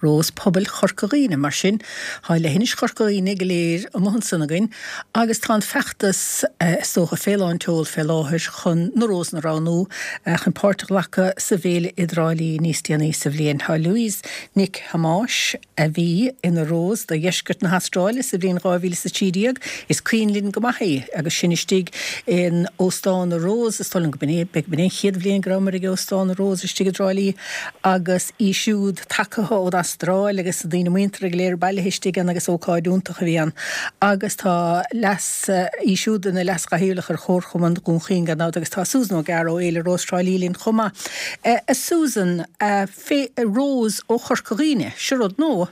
Rós Pobail Chorca Dhuibhne, mar sin, tá leithinis Chorca Dhuibhne go léir amuigh ansan againn agus tá an feachtas, is dócha, fé lán tseol fé láthair chun na Rósanna a roghnú chun páirt a ghlacadh sa bhféile i dTrá Lí níos déanaí sa bhliain. Tá Louise Nic Thomáis, a bhí ina Rós do Dheisceart na hAstráile sa bhliain 2013. Is cuimhin linn go maith í agus sinn istigh in Óstán na Rose, is dóigh liom go b'in é, b'in é an chéad bhliain go rabhamar ag Óstán na Rose istigh i dTrá Lí agus í siúd tagtha ón Astráil agus daoine muinteartha go léir bailithe istigh ann agus ócáid iontach a bhí ann. Agus tá leas, í siúd ina leaschathaoirleach ar Chomharchumann Dhún Chaoin gan dabht agus tá Susan O'Gara ó Fhéile Rós Thrá Lí linn chomh maith. A Susan, Féile Rós ó Chorca Dhuibhne. Seo rud nua.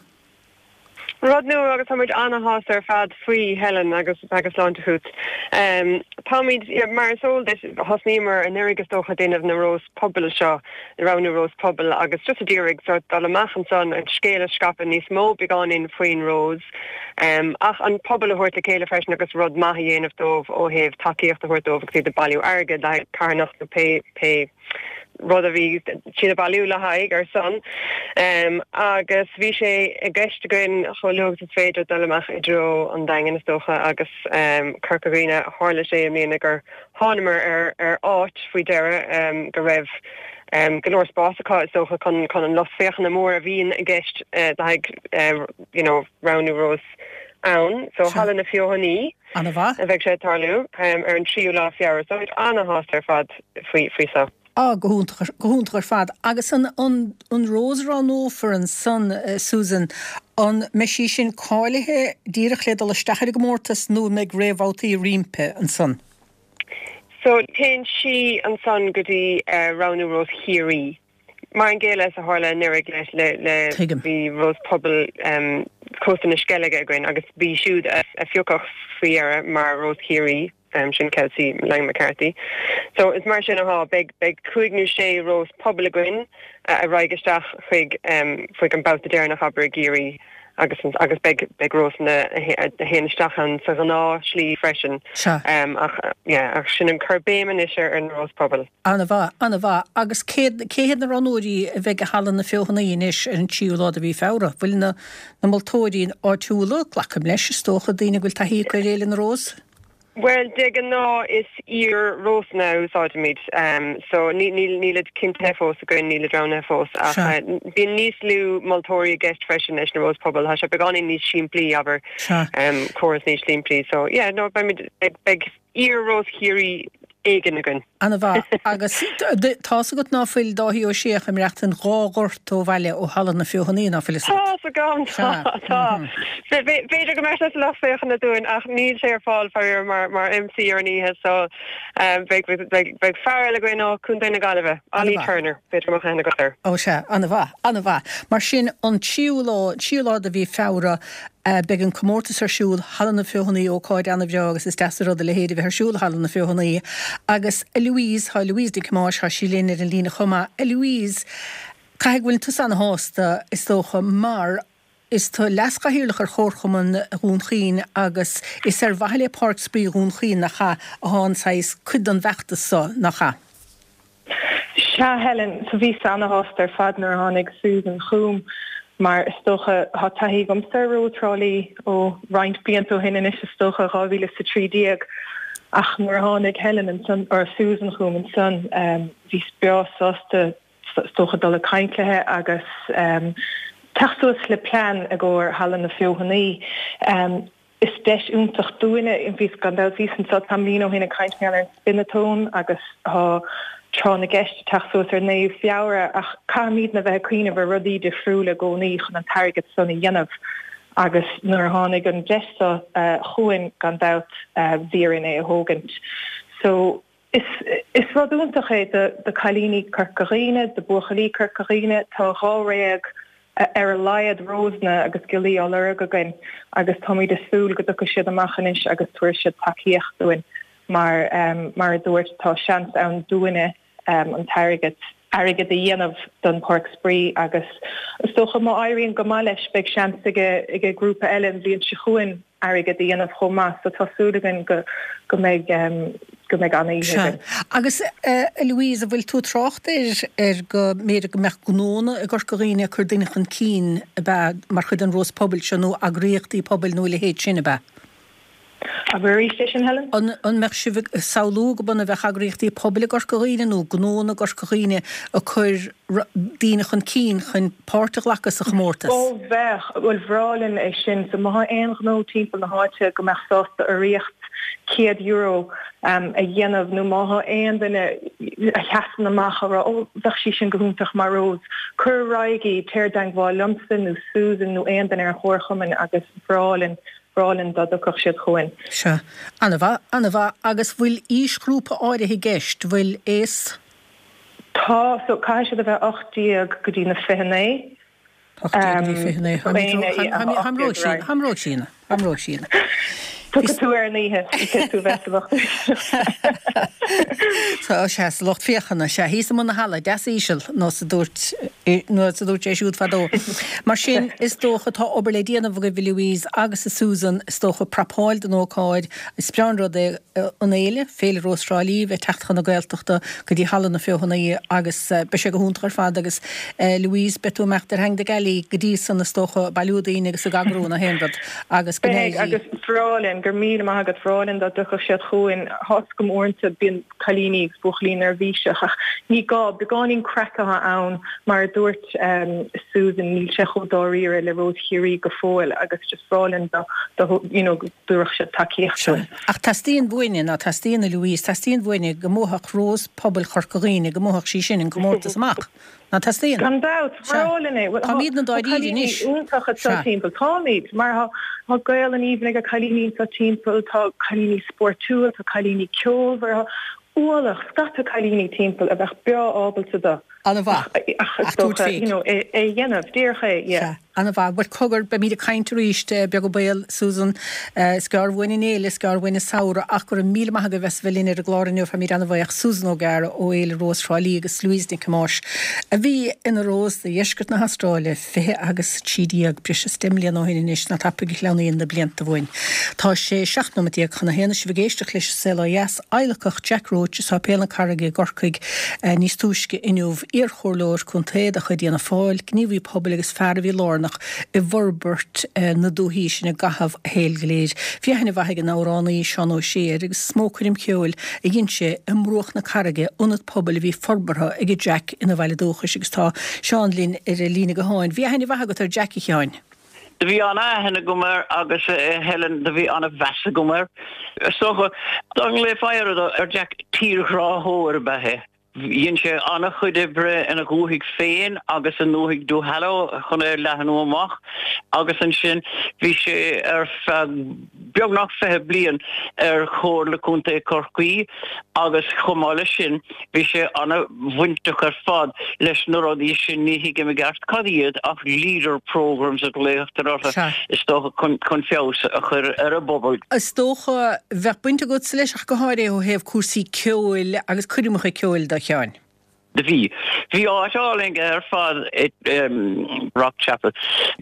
Rud nua agus táimid ana-shásta ar fad faoi, Helen, agus agus sláinte chút. Táimid, mar is eol duit, thosnaíomar anuraidh is dócha ag déanamh na Rós Pobail seo, roghnú Rós Pobail agus just ag iarraidh sort dul amach ansan an scéal a scaipeadh níos mó beagáinín faoin Rós ach an pobal a thabhairt le chéile freisin agus rud maith a dhéanamh dóibh ó thaobh tacaíocht a thabhairt dóibh agus iad ag bailiú airgid le haghaidh carthanacht nó pé pé rud a bhí siad ag bailiú le haghaidh, ar son. Agus bhí sé i gceist againn chomh luath agus is féidir dul amach i dtreo an Daingin is dócha agus Corca Dhuibhne. mbliana, tharla sé i mbliana gur thánamar ar ar áit faoi deireadh go raibh go leor spás acu is dócha chun chun an lucht féachana mór a bhíonn i gceist le haghaidh you know roghnú rós ann. So Halla na Feothanaí Ana-mhaith. a bheidh sé ag tarlú ar an tríú lá Feabhra. So táimid ana-shásta ar fad faoi faoi so. Á, go hiontach, go hiontach ar fad. Agus an, an, an rós a roghnófar ansan, Susan, an mbeidh sí sin cáilithe díreach le dul isteach ar an gcomórtas nó an mbeidh réamhbhabhtaí roimpi ansan? So, téann sí ansan go dtí roghnú Rós Chiarraí. Mar an gcéanna is a tharla anuraidh le, le, le, Tuigim. bhí Rós Pobail Cósta na Sceilge againn agus b'í siúd a, a phiocadh faoi dheireadh mar Rós Chiarraí. Sin Kelsey Lang McCarthy. So is mar sin athá. Beidh, beidh cúig nó sé rós pobail againn a raghaidh isteach chuig, chuig an babhta deireanach, abair, i gCiarraí agus, agus beidh, beidh rósanna a théann isteach ann sa ghnáth slí freisin. Sea. Ach, yeah, ach sin an cur béim anois ar, ar na rós pobail. Ana-mhaith, ana-mhaith. Agus cé, cé hiad na roghnóirí a bheidh i Halla na Feothanaí anois ar an tríú lá de mhí Feabhra? Bhfuil na, na moltóirí áitiúla, glacaim leis, is dócha, daoine a bhfuil taithí acu ar Fhéile na Rós? Bhuel, de ghnáth is iar-rósanna a úsáidimid. So nílid cinntithe fós againn, nílid roghnaithe fós. Ach bíonn níos lú moltóirí i gceist freisin leis na Rós Pobail. Tá sé beagáinín níos simplí, abair, córas níos simplí. So yeah, no, beimid, beidh iar-Rós Chiarraí éigin againn. Ana-mhaith. Agus tá's agat ná fuil Dáithí Ó Sé ach ag maireachtaint dhá ghort ó bhaile ó Halla na Feothanaí, ná fuil fhios agat? Tá's agam, tá, tá. B'fhéidir go mbeidh sé sa lucht féachana dúinn ach níl sé ar fáil faraor mar, mar MC ar an oíche so beidh, beidh, beidh fear eile againn ó Chontae na Gaillimhe, Ollie Turner, b'fhéidir go mbeadh aithne agat air. Ó sea, ana-mhaith, ana-mhaith. Mar sin, an tríú lá, an tríú lá de mhí Feabhra, Beidh an comórtas ar siúl, Halla na Feothanaí, ócáid ana-bhreá agus is deas an rud a leithéid a bheith ar siúl i Halla na Feothanaí. Agus a Louise, tá Louise Nic Thomáis, tá sí linn ar an líne chomh maith. A Louise, caithfidh go bhfuil tusa ana-shásta, is dócha, mar is tu leaschathaoirleach ar Chomharchumann Dhún Chaoin agus is ar mhaithe le Páirc Spraoi Dhún Chaoin, nach ea, athá an saghas, cuid den bhfeachtas so, nach ea? Sea, Helen, so bhíos ana-shásta ar fad nuair a tháinig Susan chugam mar is dócha, tá taithí agamsa ar Rós Thrá Lí ó roinnt blianta ó shin anois is dócha, 2013, ach nuair a tháinig Helen ansan, or Susan chugam ansan, bhíos breá sásta is dócha dul ag caint léi agus teacht suas le plean i gcomhair Halla na Feothanaí. Is deis iontach dúinne, bhíos, gan dabht, bhíos anseo tamaillín ó shin ag caint mar gheall ar an Spin-a-thon agus tá Tráth na gCeist ag teacht suas ar an 9ú Feabhra ach caithfimidne a bheith ag cuimhneamh ar rudaí difriúla i gcónaí chun an t-airgead san a dhéanamh agus nuair a tháinig an deis seo chugainn gan dabht bhí orainn é a thógaint. So is is rud iontach é do do cailíní Corca Dhuibhne, do buachaillí Corca Dhuibhne, tá dháréag ar a laghad rósanna agus giollaí á lorg againn agus táimid ag súil go dtiocfaidh siad amach anois agus tabharfaidh siad tacaíocht dúinn mar mar a dúirt tá seans ann dúinne an t-airgead airgead a dhéanamh don Páirc Spraoi agus is dócha má éiríonn go maith leis beidh seans ag ag grúpa eile an bhliain seo chugainn airgead a dhéanamh chomh maith so tá súil againn go go mbeidh go mbeidh an-oíche Sea. againn. Agus a Louise, an bhfuil tú ag trácht ar ar go mb'fhéidir go mbeadh gnónna i gCorca Dhuibhne ag cur daoine chun cinn ab ea mar chuid den Rós Pobail seo nó eagraíochtaí pobail nó a leithéid sin ab ea? Abair arís é sin, Helen. An mbeadh sibh ag samhlú go mb'ionann a bheadh eagraíochtaí pobail i gCorca Dhuibhne nó gnónna i gCorca Dhuibhne ag cur daoine chun cinn chun páirt a ghlacadh sa chomórtas? Ó bheadh, bhuel bhreá linn é sin. So má tá aon ghnó timpeall na háite go mbeadh sásta urraíocht €100 a dhéanamh nó má tá aon duine a sheasann amach a rá ó bheadh sí sin go hiontach mar rós, cuir ar aghaidh í, téir i dteangmháil liomsa nó Susan nó aon duine ar an chomharchumann agus bhreá linn bhreá linn dá dtiocfadh siad chugainn. Sea. Ana-mhaith, ana-mhaith. Agus bhfuil aoisghrúpa áirithe i gceist? Bhfuil aos? Tá, so caithfidh siad a bheith 18 go dtí na 29. 18 go dtí 29. Táim róshína, táim róshína. Tiocfaidh tú ar an oíche, caithfidh tú bheith sa lucht éisteachta. Tá, sea, sa lucht féachana, sea, thíos i mbun na halla, deas íseal, nós a dúirt, nós a dúirt sé siúd fadó. Mar sin, is dócha, tá obair le déanamh agaibh, a Louise agus a Susan, is dócha, prapáil don ócáid. Is breá an rud é an fhéile, Féile Rós Thrá Lí, bheith ag teacht chun na Gaeltachta go dtí Halla na Feothanaí agus beidh sé go hiontach ar fad agus Louise, beidh tú ag imeacht ar theanga do gealaí go dtí san, is dócha, ag bailiú daoine agus ag eagrú na haon rud agus go Beidh, agus bhreá linn. Helen, go raibh míle maith agat, bhreá linn dá dtiocfadh siad chugainn. Tá's agam uaireanta bíonn cailíní agus buachaillí neirbhíseach ach ní gá, beagáinín craic atá ann mar a dúirt Susan, níl sé chomh dáiríre le Rós Chiarraí go fóill agus just bhreá linn dá you know go dtabharfadh siad tacaíocht dúinn. Ach teastaíonn uainne, ná teastaíonn a Louise, teastaíonn uainne go mbuafadh Rós Pobail Chorca Dhuibhne, go mbuafadh sí sin an comórtas amach. Ná teastaíonn? Gan dabht, bhreá linn é. Bhuel, Táimídne tá dáiríre cailíní anois. iontacha Sea. anseo timpeall. Táimid, mar tá tá Gaolainn aoibhinn ag cailíní anseo timpeall, tá cailíní spórtúil, tá cailíní ceolmhar, tá ualach, scata cailíní timpeall a bheadh breá ábalta do. An-mhaith. Ach is Ach tabhairt dócha, fé. you know, é a dhéanamh, díreach é, yeah. Sea. An-mhaith. Bhuel, cogar, beimid ag caint arís, beag an baol, Susan. Is gearr uainn an fhéile, is gearr uainn an samhradh, ach go raibh míle maith agaibh as a bheith linn ar an gclár inniu. Táimid an-bhuíoch. Susan O'Gara ó Fhéile Rós Thrá Lí agus Louise Nic Thomáis, a bhí ina Rós do dheisceart na hAstráile 20 agus 13, breis is 10 mbliana ó shin anois, nach tapaidh a shleamhnaíonn na blianta uainn. Tá sé 17 nóiméad chun a haon, sibh ag éisteacht leis An Saol Ó Dheas. Adhlacadh Jack Roche i Sáipéal na Carraige i gCorcaigh níos túisce inniu, iarchomhairleoir contae de chuid Fhianna Fáil, gníomhaí pobail agus fear a bhí lárnach i bhforbairt na dúichí sin i gcaitheamh a shaoil go léir. Bhí aithne mhaith ag an amhránaí Seán Ó Sé air agus is mó coirm cheoil a dhein sé i mBruach na Carraige, ionad pobail a bhí forbartha ag Jack ina bhaile dúchais agus tá Seán linn ar an líne gutháin. Bhí aithne mhaith agat ar Jack, a Sheáin? Do bhí ana-aithne agam air agus a Helen, do bhí ana-mheas agam air. Is dócha, dá nglaofaí ar Jack, tírghráthóir ab ea é. Dhein sé ana-chuid oibre ina dhúthaigh féin agus i ndúthaigh Duhallow chun é a leathnú amach agus ansin bhí sé ar feadh beagnach 20 bliain ar Chomhairle Contae Chorcaí agus chomh maith leis sin bhí sé ana-bhainteach ar fad leis na rudaí sin, ní thuigim i gceart cad iad ach leader programmes a ghlaotar orthu, is dócha, chun feabhas a chur ar an bpobal. Is dócha, bheadh baint agatsa leis ach go háirithe ó thaobh cúrsaí ceoil agus coirmeacha ceoil de, a Sheáin. Do bhí. Bhí áit álainn aige ar fad i Rockchapel.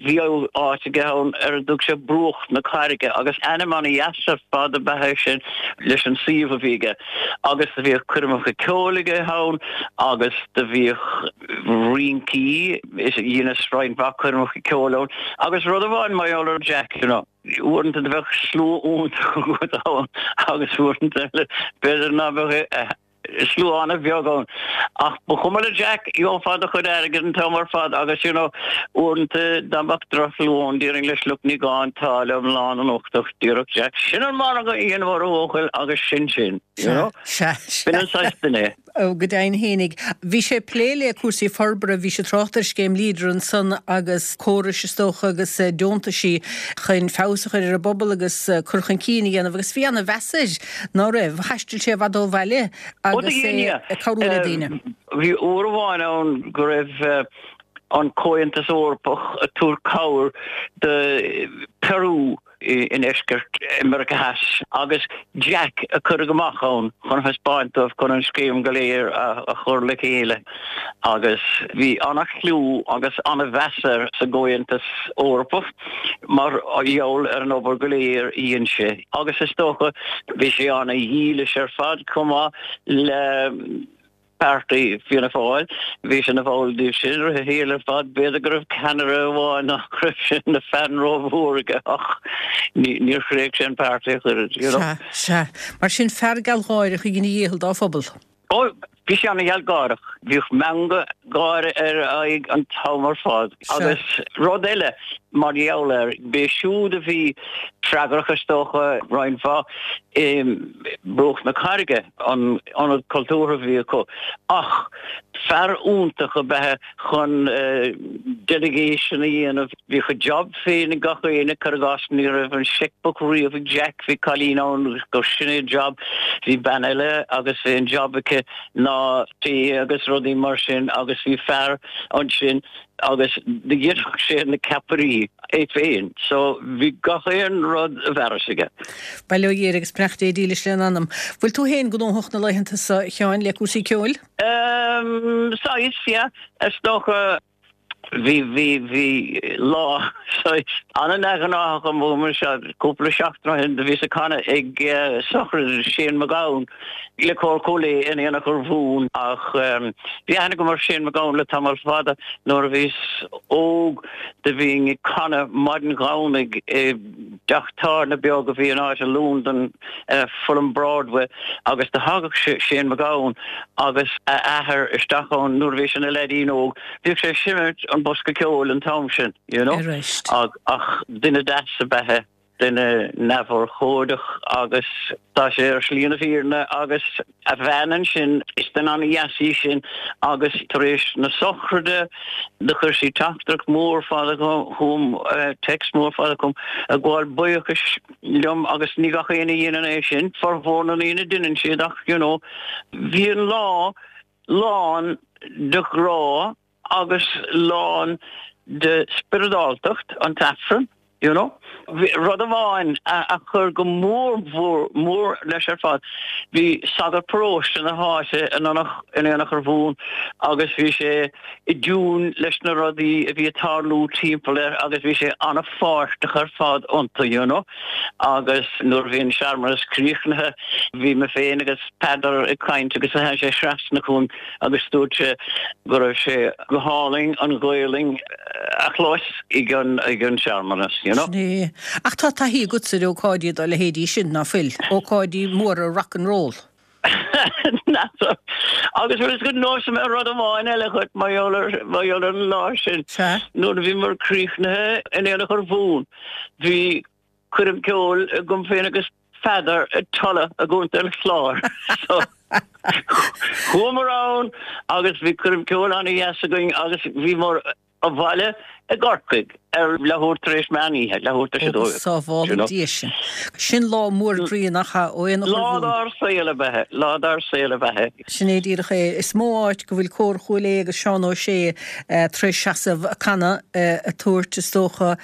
Bhí áit aige ann ar a dtug sé Bruach na Carraige agus ainm ana-dheas ar fad ab ea é sin leis an suíomh a bhí aige. Agus do bhíodh coirmeacha ceoil aige ann agus do bhíodh rincí, is dheineas roinnt mhaith coirmeacha ceoil ann. Agus rud amháin mar gheall ar Jack, you know, uaireanta do bheadh slua iontach agat ann agus uaireanta eile b'fhéidir ná beadh slua an-bheag ann. Ach ba chuma le Jack, gheofá do chuid airgid an t-am ar fad agus, you know, uaireanta dá mbeadh drochshlua ann, déarfainn leis, look, ní gá an táille iomlán anocht ach déarfadh Jack, sin an margadh a dhéanamh ar a bhuachaill agus sin sin, you know. Sea, sea. B'in an saghas duine é. Ó, go deimhin fhéinig. Bhí sé ag plé le cúrsaí forbartha, bhí sé ag trácht ar scéim Leader ansan agus córais is dócha agus deontaisí chun feabhas a chur ar an bpobal agus cur chun cinn a dhéanamh agus bhí ana-mheas air. Ná raibh? Thaistil sé i bhfad ó bhaile agus é ag cabhrú le daoine. Bhí uair amháin ann go raibh an Comhaontas Eorpach ag tabhairt cabhair do Peru i ndeisceart Meiriceá Theas agus Jack a cuireadh amach ann chun thaispeáint dóibh chun an scéim go léir a chur le chéile agus bhí ana-chliú agus ana-mheas air sa gComhaontas Eorpach. mar gheall ar an obair go léir a dhein sé agus is dócha bhí sé ana-dhílis ar fad chomh maith le páirtí Fianna Fáil. Bhí sé ina bhall díobh sin i rith a shaoil ar fad. B'fhéidir go raibh ceannaire amháin nach raibh sé ina fan rómhór aige ach níor thréig sé an páirtí ach oiread, you know. Sea, sea. Mar sin fear gealgháireach a dhein a dhícheall dá phobal. Ó, bhí sé ana-ghealgháireach. Bhíodh meangadh gáire ar a aghaidh an t-am ar fad. Agus rud eile mar gheall air, b'é siúd a bhí freagrach, is dócha, roinnt mhaith i mBruach na Carraige, an ionad cultúrtha a bhí acu. Ach fear iontach ab ea é chun delegation a dhéanamh. Bhíodh a job féin ag gach éinne, cuir i gcás, ní raibh an checkbook riamh ag Jack, bhí cailín ann gur sin é a job, bhí bean eile agus bhí an job aici ná tae agus rudaí mar sin agus bhí fear ansin agus do dhéanfadh sé na ceapairí é féin so bhí gach aon rud i bhfearas aige. Bail ó Dhia air agus beannacht Dé dílis lena anam. Bhfuil tú féin gnóthach na laethanta seo, a Sheáin, le cúrsaí ceoil? Saghas, yeah. Is dócha. Bhí, bhí, bhí lá saghas an-neamhghnáthach agam anseo cúpla seachtain ó shin. Do bhíos ag canadh ag sochraid Shane MacGowan le Cór Chúil Aodha in Aonach Urmhumhan ach bhí aithne agam ar Shane MacGowan le tamall fada. Nuair a bhíos óg do bhínn ag canadh maidin Dhomhnaigh i dteach tábhairne beag a bhí in áit i Londain, Fulham Broadway, agus do thagadh Shane MacGowan agus a athair isteach ann nuair a bhí sé ina leaidín óg. Bhíodh sé ag seimint an bosca ceoil an t-am sin, you know. Ach duine deas ab ea é, duine neamhurchóideach agus tá sé ar shlí na fírinne agus a bhean ansin, is duine an-dheas í sin agus tar éis na sochraide do chuir sí teachtaireacht mór fada chugam, text mór fada chugam, ag gabháil buíochais liom agus ní gach éinne a dhéanann é sin, formhór na ndaoine deineann siad ach, you know, bhí an lá lán de ghrá agus lán de spioradáltacht, an t-Aifreann, you know. Rud amháin a chuir go mór mhór mór leis ar fad, bhí sagart paróiste na háite in Aonach Urmhumhan agus bhí sé i dtiúin leis na rudaí a bhí ag tarlú timpeall air agus bhí sé an-pháirteach ar fad iontu, you know. Agus nuair a bhí an searmanas críochnaithe, bhí mé féin agus Peadar ag caint agus tháinig sé trasna chugam agus dúirt sé go raibh sé go hálainn an Ghaolainn a chlos ag an ag an searmanas, you know. Sin é. Ach tá taithí agatsa ar ócáidí dá leithéidí sin, ná fuil? Ócáidí móra rock and roll. N'fheadar. Agus bhfuil a fhios agat neosfaidh mé rud amháin eile dhuit mar gheall ar mar gheall ar an lá sin. Sea. Nuair a bhíomar críochnaithe in Aonach Urmhumhan, bhí coirm ceoil agam féin agus Peadar i Tulla i gContae an Chláir. So chuamar ann agus bhí coirm ceoil an-dheas againn agus bhíomar abhaile i gCorcaigh ar leathuair tar éis meán oíche, leathuair tar éis a dó. Sábhála Dia sinn. Sin lá mór groí nach ea, ó Aonach Lá Urmhumhan. dár saol ab ea é, lá dár saol ab ea é. Sin é díreach é. Is mó áit go bhfuil Cór Chúil Aodha agus Seán Ó Sé tar éis seasamh ag canadh, ag tabhairt, is dócha,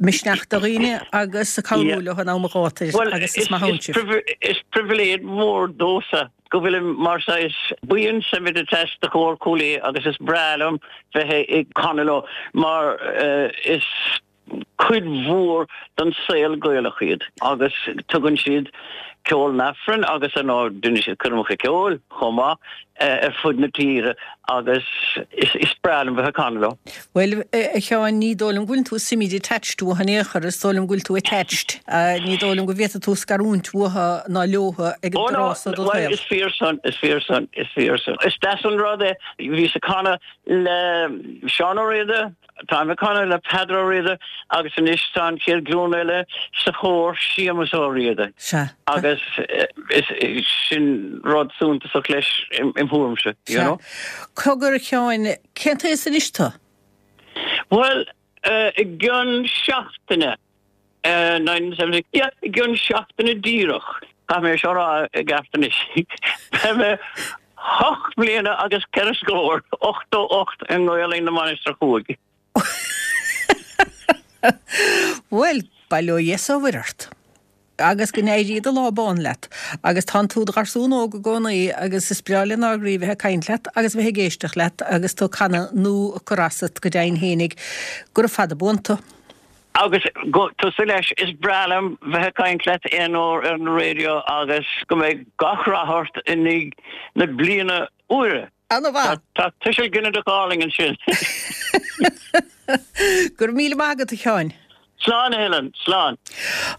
misneach do dhaoine agus ag cabhrú leo in am an ghátair agus is maith ann sibh. Is pribhléid mhór domhsa go bhfuilim mar saghas buíon semi-detached de Chór Chúil Aodha agus is breá liom bheith ag canadh leo mar is cuid mhór den saol Gaelach iad agus tugann siad ceol an Aifrinn agus ar ndóigh déanann siad coirmeacha ceoil chomh maith ar fud na tíre agus is breá liom bheith ag canadh leo. Bhuel, a Sheáin, ní dóigh liom go bhfuil tú semi-detached uathu in aon chor, is dóigh liom go bhfuil tú attached. Ní dóigh liom go bhféadfaidh tú scarúint uathu ná leothu ag an dtráth so de do shaol. Bhuel, is fíor san, is fíor san, is fíor san. Is deas an rud é, bhíos ag canadh le Seán Ó Riada, Táim ag canadh le Peadar Ó Riada agus anois tá an chéad ghlúin eile sa chór, Séamus Ó Riada. Sea. Agus is sin rud suntasach leis im thuairimse, you know. Cogar, a Sheáin, cén t-aos anois tú? Bhuel, i gcionn seachtaine, 1970, yeah, i gcionn seachtaine díreach, caithfidh mé seo a rá i gceart anois, beidh mé hocht mbliana agus ceithre scór, 88 i nGaolainn na Mainistreach Thuaidh. Bhuel, bail ó Dhia 's ó Mhuire ort. Agus go n-éirí do lá bán leat. Agus tánn tú i do gharsún óg i gcónaí agus is breá lenár gcroí bheith ag caint leat agus bheith ag éisteacht leat agus tú ag canadh nó ag cur asat go deimhin fhéinig. Gura fada buan tú. Agus tusa leis, is breá liom bheith ag caint leat aon uair ar an raidió agus go mbeidh gach rath ort i ndiaidh na bliana úire. Ana-mhaith. Tá tuiseal ginideach álainn ansin. Go raibh míle maith agat, a Sheáin. Slán, a Helen, slán.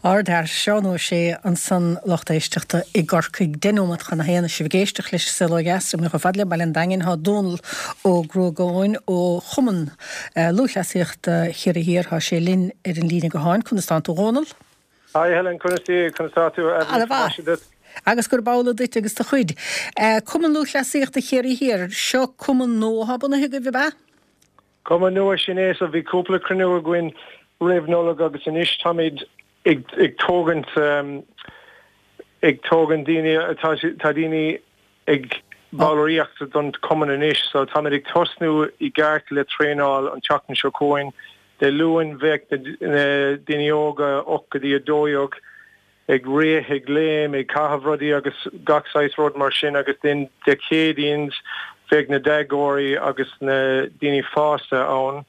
Ardfhear, Seán Ó Sé ansan, lucht éisteachta i gCorcaigh. Deich nóiméad chun a haon is sibh ag éisteacht leis an Saol Ó Dheas. Imithe chomh fada le Baile an Daingin thá Dónal Ó Gruagáin ó Chumann Lúthchleasaíochta Chiarraí Thiar. Thá sé linn ar an líne gutháin. Conas tánn tú, a Dhónaill? Hi Helen, conas tá, conas tá tú? Ana-mhaith. Agus gurb amhlaidh duit agus do chuid. Cumann Lúthchleasaíochta Chiarraí Thiar, seo cumann nua atá bunaithe agaibh, ab ea? Cumann nua, sin é. So bhí cúpla cruinniú againn roimh Nollaig agus anois táimid ag ag tógaint ag tógaint daoine, tá tá daoine ag ballraíocht don chumann anois so táimid ag tosnú i gceart le traenáil an tseachtain seo chugainn. Dé Luain bheadh na daoine óga 8 go dtí 12 ag rith, ag léim, ag caitheamh rudaí agus gach saghas rud mar sin agus then Dé Céadaoin bheadh na déagóirí agus na daoine fásta ann.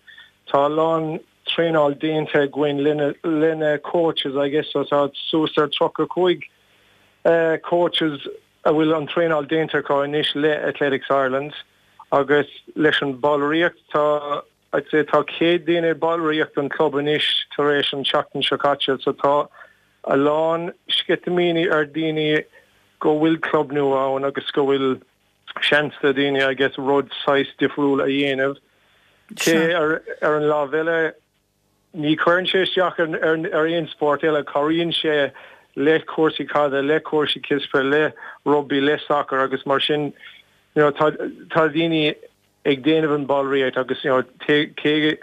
Tá a lán traenáil déanta againn le na coaches I guess so tá suas ar 35 coaches a bhfuil an traenáil déanta acu anois le Athletics Ireland agus leis an ballraíocht tá I'd say tá 100 duine i ballraíocht an club anois tar éis an tseachtain seo caite so tá a lán sceitimíní ar daoine go bhfuil club nua ann agus go bhfuil seans do daoine I guess rud saghas difriúil a dhéanamh. Cé ar ar an lámh eile ní chuireann sé isteach ar ar ar aon spórt eile, cabhraíonn sé le cúrsaí caide, le cúrsaí cispheil, le rugbaí, le sacar agus mar sin you know tá tá daoine ag déanamh an ballraíocht agus you know cé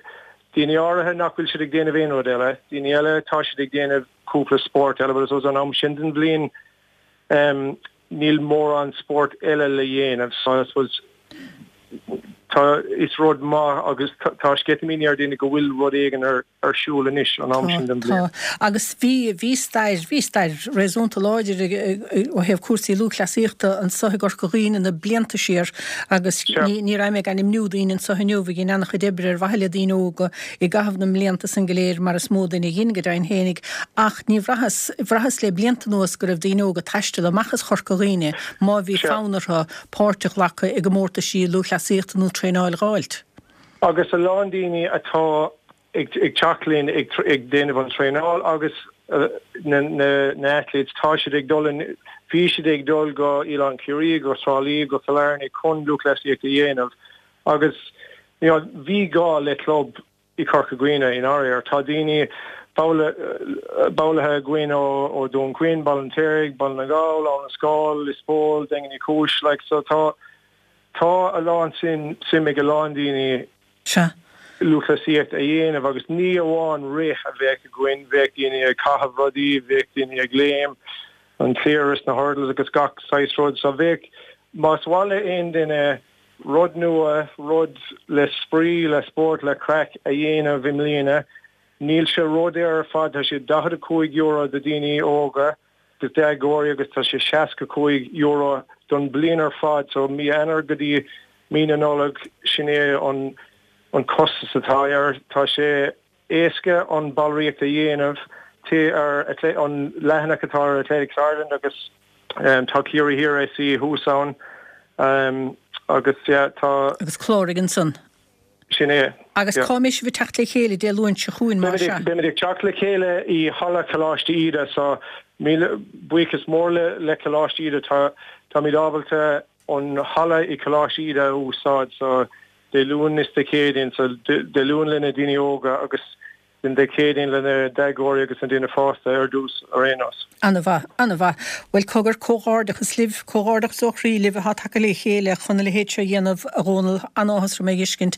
daoine áirithe nach bhfuil siad ag déanamh aon rud eile, daoine eile tá siad ag déanamh cúpla spórt eile but I suppose an am sin den bhliain em níl mórán spórt eile le dhéanamh so I suppose tá is rud maith agus tá sceitimíní ar daoine go bhfuil rud éigin ar ar siúl anois an am sin den bhliain. Tá, agus bhí, bhí stair, bhí stair réasúnta láidir ó thaobh cúrsaí lúthchleasaíochta anso i gCorca Dhuibhne na blianta siar agus ní, ní raibh mé ag ainmniú daoine anso inniu a dhein an-chuid oibre ar mhaithe le daoine óga i gcaitheamh na mblianta san go léir mar is mó duine a dhein go deimhin fhéinig ach ní bhraitheas, bhraitheas le blianta anuas go raibh daoine óga ag taisteal amach as Chorca Dhuibhne má bhí fonn orthu páirt a ghlacadh i gcomórtaisí lúthchleasaíochta nó traenáil a dh'fháilt. Agus a lán daoine atá ag teacht linn ag déanamh an traenáil agus na athletes, tá siad ag dul, bhí siad ag dul go Oileán Ciarraí, go Trá Lí, go Cill Airne chun lúthchleasaíocht a dhéanamh agus you know bhí gá le club i Corca Dhuibhne i ndáiríre. Tá daoine, ballaithe againn ó Dún Chaoin, Baile an Fheirtéaraigh, Baile na nGall, Abhainn an Scáil, Lios Póil, Daingean Uí Chúis, like so tá Tá a lán suim ag a lán daoine lúthchleasaíocht a dhéanamh agus ní amháin rith a bheadh againn, bheadh daoine ag caitheamh rudaí, bheadh daoine ag léim, an cliar is na hurdles agus gach saghas rud. So bheadh, más mhaith le aon duine rud nua, rud le spraoi, le spórt, le craic a dhéanamh i mbliana, níl sé ródhaor ar fad, tá sé €45 do daoine óga. do déagóirí agus tá sé €65 don bliain ar fad so mí Eanáir go dtí mí na Nollag sin é an an costas atá air. Tá sé éasca an ballraíocht a dhéanamh, téigh ar an leathanach atá ar Athletics Ireland agus tá Ciarraí Thiar SC thuas ann agus yeah tá. Agus cláraigh ansan. Sin é. Agus cá mbeidh sibh ag teacht le chéile Dé Luain seo chugainn, más ea? Beimid ag teacht le chéile i Halla Choláiste Íde so míle buíochas mór le Coláiste Íde. Táimid ábalta an halla i Coláiste Íde a úsáid so Dé Luain is Dé Céadaoin so Dé Luain le na daoine óga agus Dé Céadaoin le na déagóirí agus na daoine fásta ar dtús ar aon nós. Ana-mhaith, ana-mhaith. Bhuel, cogar, comhghairdeachas libh, comhghairdeachas ó chroí libh atá tagtha le chéile chun a leithéid seo a dhéanamh, a Dhónaill. An-áthas orm é a fheiscint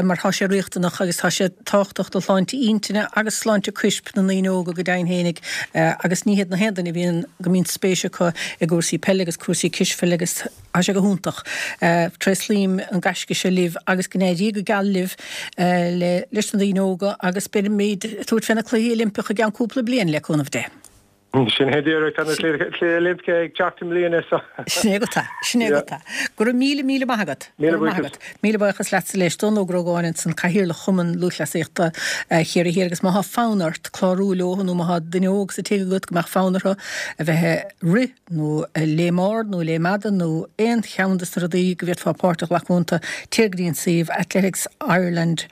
mar tá sé riachtanach agus tá sé tábhachtach do shláinte intinne agus sláinte coirp na ndaoine óga go deimhin fhéinig agus ní hiad na haon duine a bhíonn, go mbíonn spéis acu i gcúrsaí peile agus cúrsaí cispheile agus. Tá sé go hiontach. Tréaslaím an gaisce seo libh agus go n-éirí go geal libh le leis na daoine óga agus beimid ag tabhairt fé na Cluichí Oilimpeacha i gceann cúpla bliain, le cúnamh Dé. Sin é díreach, tá na Cluichí Oilimpeacha ag teacht i mbliana so. Sin é go tá, sin é go tá. Go raibh míle, míle maith agat. Míle buíochas. Míle buíochas leatsa leis. Dónal Ó Grógáin ansan, Cathaoirleach Chumann Lúthchleasaíochta Chiarraí Thiar agus má thá fonn ort clárú leo nó má thá duine óg sa tigh agat go mbeadh fonn orthu a bheith ag rith nó léim ard nó léim fhada nó aon cheann de na rudaí go bhféadfá páirt a ghlacadh iontu, téir go dtí an suíomh athletics-ireland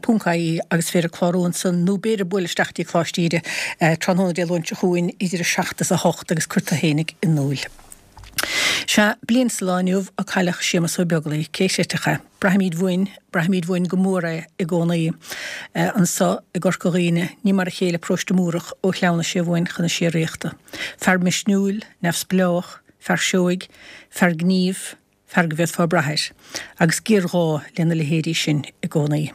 ponc ie agus féidir clárú ansan nó b'fhéidir buail isteach dtí Coláiste Íde tráthnóna Dé Luain seo chugainn idir 7 is 8 agus cuir tú fhéinig in iúl. Sea, bliain sa lá inniu a cailleadh Séamus Ó Beaglaoich, cé chreidfeadh é? Braithimid uainn, braithimid uainn go mór é i gcónaí. Anso i gCorca Dhuibhne, ní mar a chéile paróiste Múrach ó shleamhnaigh sé uainn chun na síoraíochta. Fear misniúil, neamhspleách, fear seoigh, fear gnímh, fear go bhféadfá brath air. Agus géarghá lena leithéidí sin i gcónaí.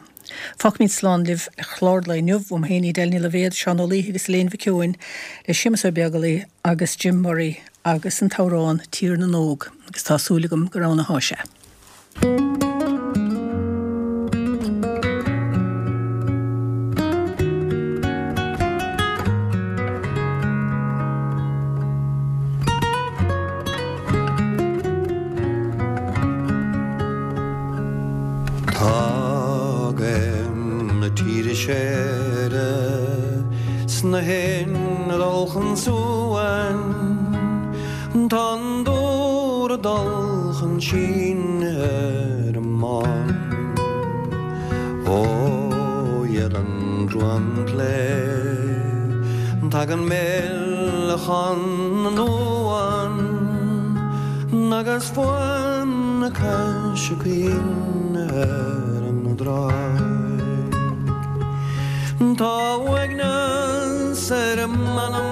Fágfaimid slán libh le clár an lae inniu, uaim féin Edel Ní Loibhéad, Seán Ó Laoithe agus Elaine Mhic Eoin, le Séamus Ó Beaglaoich agus Jim Murray agus an t-amhrán Tír na nÓg agus tá súil agam gur ann athá sé. Tagaim. an suan. Tá an dúr ag dul chun síneadh ar an mbán. Ó dheire an dromchla tagann mealchan na n-uan agus fuaim na coise caoin ar an dtráigh. Tá uaigneas ar m'anam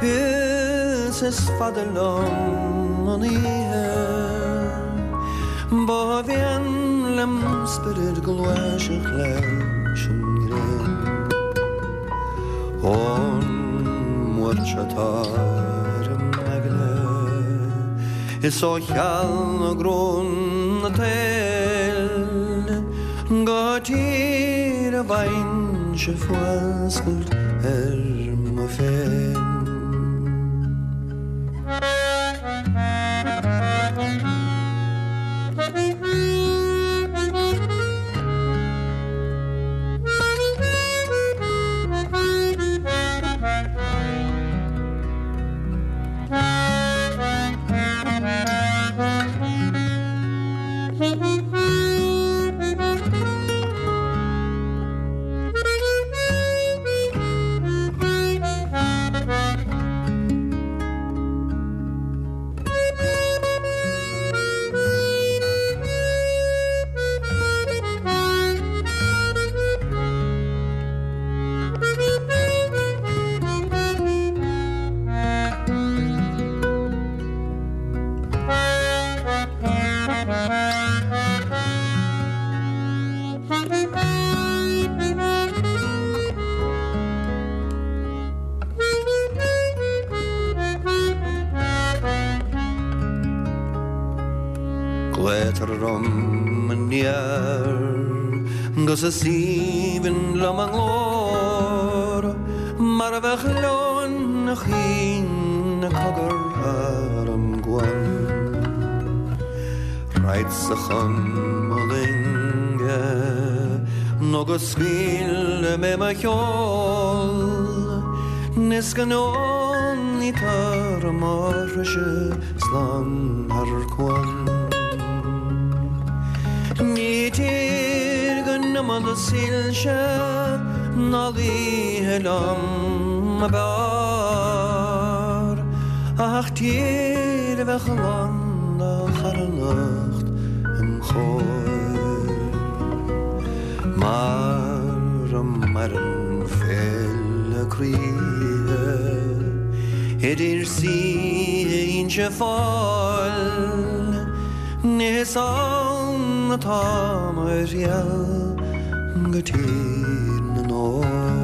is is fada liom an oíche. Ba mhian lem spiorad gluaiseacht leis an ngrian. Ón mbuairt atá ar m'aigne is ó cheal na tsaoil go tír a bhfaighinn-se fuascailt ar mo phéin. Glaotar orm aniar 'gus is aoibhinn liom a nglór mar a bheadh leoin a chaoin ag cogar thar an gcuan. Raghadsa chun mo loinge nó go scaoile mé mo sheol is go ndeonaítear mo threise slán thar cuan. Ní tír den iomad soilse ná laoithe liom ab fhearr ach tír a bheadh lán de charthanacht im chomhair. Mar a maireann féile croíthe idir saoithe Inse Fáil, is ann atá mo thriall go Tír na nÓg.